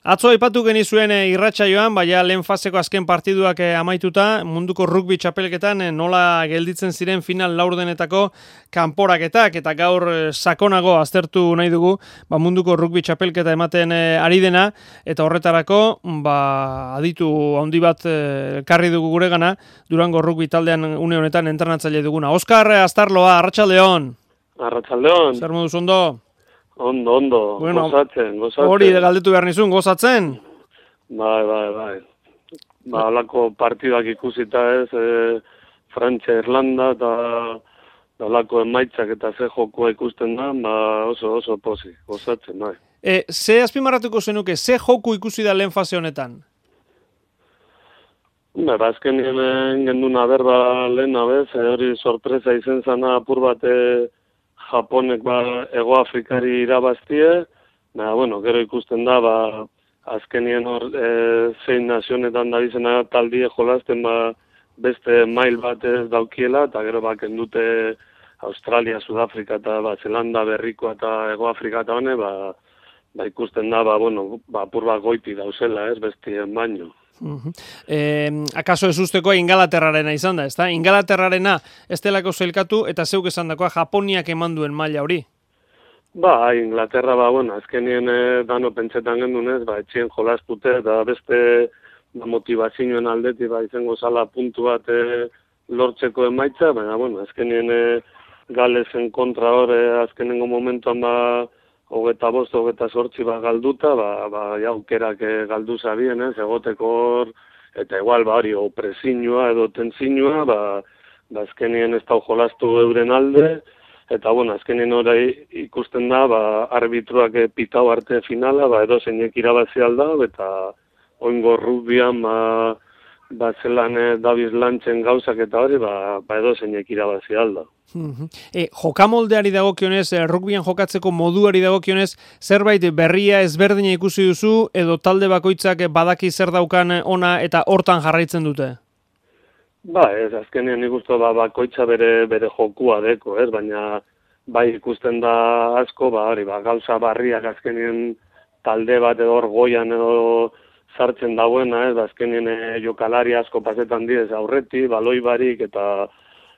Atzo aipatu genizuen irratsaioan, baina lehen faseko azken partiduak amaituta, munduko rugby txapelketan nola gelditzen ziren final laurdenetako kanporaketak, eta gaur sakonago aztertu nahi dugu munduko rugby txapelketa ematen ari dena, eta horretarako aditu handi bat elkarri dugu guregana, Durango rugby taldean une honetan entrenatzaile duguna. Oskar Astarloa, arratsaldeon. Arratsaldeon. Zer moduz ondo? Ondo, bueno, gozatzen. Hori galdetu behar nizun, gozatzen? Bai. Alako partidak ikusita ez, Frantzia, Irlanda, eta alako emaitzak eta ze jokoa ikusten da, oso posi, gozatzen, bai. Ze azpimarratuko zenuke, ze joku ikusi da lehen fase honetan? Azkenien genduna berba lehen abez, hori sorpresa izen zana apur bat Japonek Ego Afrikari irabaztie, gero ikusten da, azkenien hor zein nazionetan dabizena taldie jolazten beste mail bat ez daukiela, eta gero kendute Australia, Sudafrika eta Zelanda berrikoa eta Ego Afrika eta hone, ikusten da, apur bat goiti dauzela ez, bestien baino. Akaso ez usteko Ingalaterrarena izan da, ezta? Ingalaterrarena ez delako zelkatu eta zeuk esan dakoa Japoniak eman duen maila hori? Inglaterra, azkenien dano pentsetan gendunez, etxien jolaztute eta beste motivazioen aldetik izango zala puntu bat lortzeko emaitza, baina, azkenien Galesen kontra hor, azkenengo momentuan 25, 28 galduta, aukerak galdu zabien, egoteko hor, eta igual, hori, opresinua edo tensinua, azkenien ez da jolastu euren alde, eta, azkenien hori ikusten da, arbitruak pitau arte finala, edo zeinek irabazi alda, eta oingo rugbyan, zelan Davis Lantzen gauzak eta hori, edo zeinek irabazi alda. Jokamoldeari dagokionez, rugbyan jokatzeko moduari dagokionez, zerbait berria ezberdina ikusi duzu, edo talde bakoitzak badaki zer daukan ona eta hortan jarraitzen dute? Ez, azkenean nik uste bakoitza bere jokua deko, ez, baina ikusten da asko, gauza barriak azkenean talde bat edo hor goian edo sartzen dagoena, ez, azkenean jokalari asko pasetan diez aurreti, baloi barik eta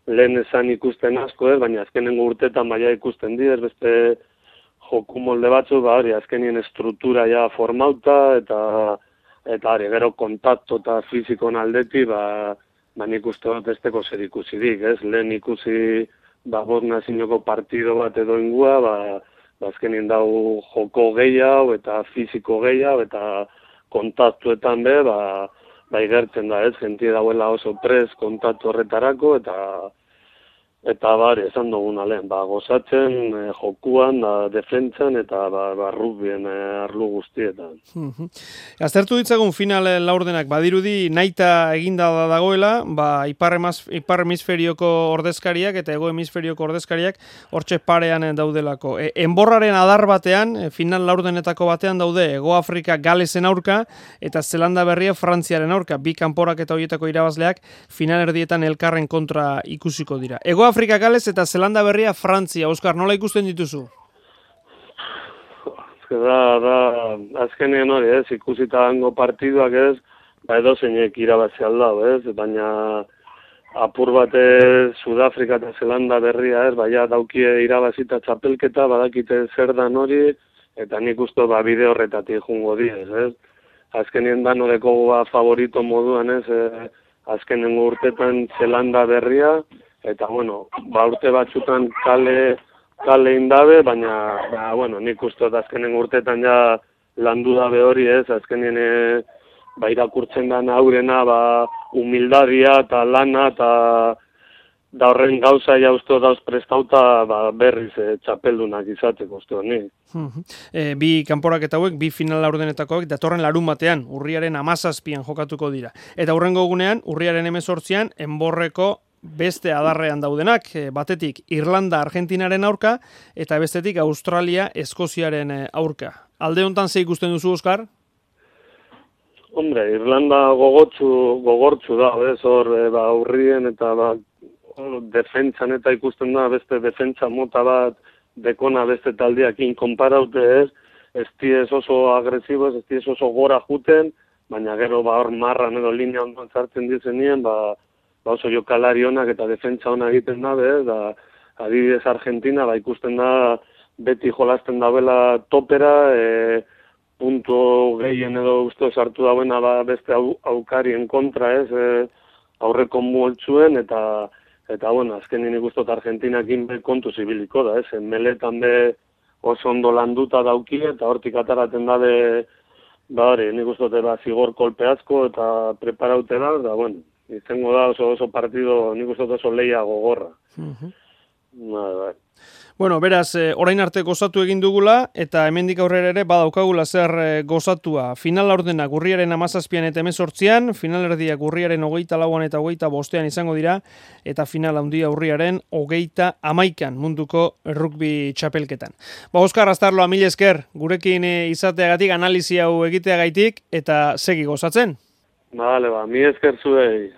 lehen esan ikusten asko, baina azkenengo urtetan ikusten diez, beste joku molde batzu, azkenien estruktura ja formauta, eta gero kontakto eta fizikon aldeti, nik uste dut besteko zer ikusidik, ez? Lehen ikusi nazinoko partido bat edo ingua, azkenien dau joko gehiago eta fiziko gehiago, eta kontaktuetan igertzen da, ez, jentie dauela oso prez kontaktu horretarako, eta esan duguna lehen, gozatzen, jokuan, defentsan, eta rugbyen arlu guztietan. Aztertu ditzagun final laurdenak, badirudi nahita eginda dagoela, ipar hemisferioko ordezkariak eta hego hemisferioko ordezkariak hortxe parean daudelako. Enborraren adar batean, final laurdenetako batean daude, Ego Afrika Galesen aurka, eta Zelanda berria Frantziaren aurka, bi kanporak eta horietako irabazleak final erdietan elkarren kontra ikusiko dira. Ego Afrika Gales eta Zelanda berria Frantzia. Oskar, nola ikusten dituzu? Azkenean hori, ez, ikusita hango partiduak ez, edo zeinek irabazi aldau, ez, baina apur bat Sudafrika eta Zelanda berria, ez, daukie irabazita txapelketa, badakite zer dan hori, eta nik uste bide horretatik jungo diez, ez. Azkenien danodeko favorito moduan, ez, azkenengo urtetan Zelanda berria, eta, urte batzutan kale indabe, baina, nik uste azkenen urtetan ja landu dabe hori ez, azkenen irakurtzen da aurrena, humildadia eta lana, eta da horren gauza ja uste dauz prestauta berriz txapeldunak izateko uste honi. Bi kanporak eta hauek, bi final laurdenetakoak, datorren larun batean, urriaren 17an jokatuko dira. Eta hurrengo egunean, urriaren 18an, enborreko beste adarrean daudenak, batetik Irlanda Argentinaren aurka, eta bestetik Australia Eskoziaren aurka. Alde hontan ze ikusten duzu, Oskar? Irlanda gogortzu da, hor urrien eta defentsan eta ikusten da, beste defentsa mota bat dekona beste taldeakin konparaute ez, ez diez oso agresibo, ez diez oso gora juten, baina gero hor marran edo linea ondoan zartzen dizenien, oso jokalari onak eta defentsa ona egiten dabe, da adibidez Argentina, ikusten da beti jolasten dabela topera, puntu gehien edo uste sartu dauena beste aukarien kontra, aurreko multzuen, eta bueno, azkenin ikustot Argentinakin kontu zibiliko da, meletan be oso ondo landuta dauki, eta hortik ataraten dabe, nik uste zigor kolpe asko eta preparaute da, bueno, izango da oso partido, nik uste oso lehia gogorra. Bueno, beraz, orain arte gozatu egin dugula, eta hemendik aurrera ere badaukagula zer gozatua. Final laurdenak urriaren 17an eta 18an, finalerdiak urriaren 24an eta 25an izango dira, eta final handia urriaren 31an munduko rugby txapelketan. Oskar Astarloa, mil esker, gurekin izateagatik, analizi hau egiteagaitik, eta segi gozatzen. Mil esker zuei.